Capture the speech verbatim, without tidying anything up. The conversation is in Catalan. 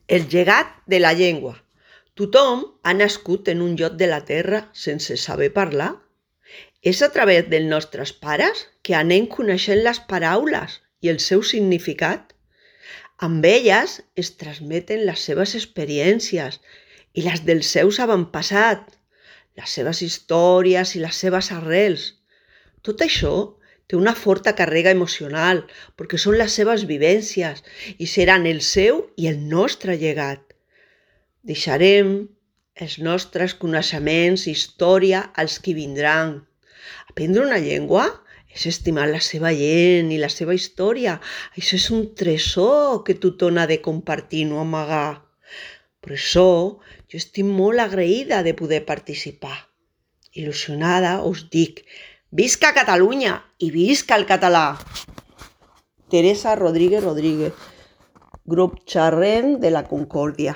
El llegat de la llengua. Tothom ha nascut en un lloc de la terra sense saber parlar. És a través dels nostres pares que anem coneixent les paraules i el seu significat. Amb elles es transmeten les seves experiències i les dels seus avantpassats, les seves històries i les seves arrels. Tot això té una forta càrrega emocional perquè són les seves vivències i seran el seu i el nostre llegat. Deixarem els nostres coneixements i història als qui vindran. Aprendre una llengua és estimar la seva gent i la seva història. Això és un tresor que tothom ha de compartir i no amagar. Per això jo estic molt agraïda de poder participar. Il·lusionada us dic, visca Catalunya i visca el català! Teresa Rodríguez Rodríguez, grup Xerrem de la Concòrdia.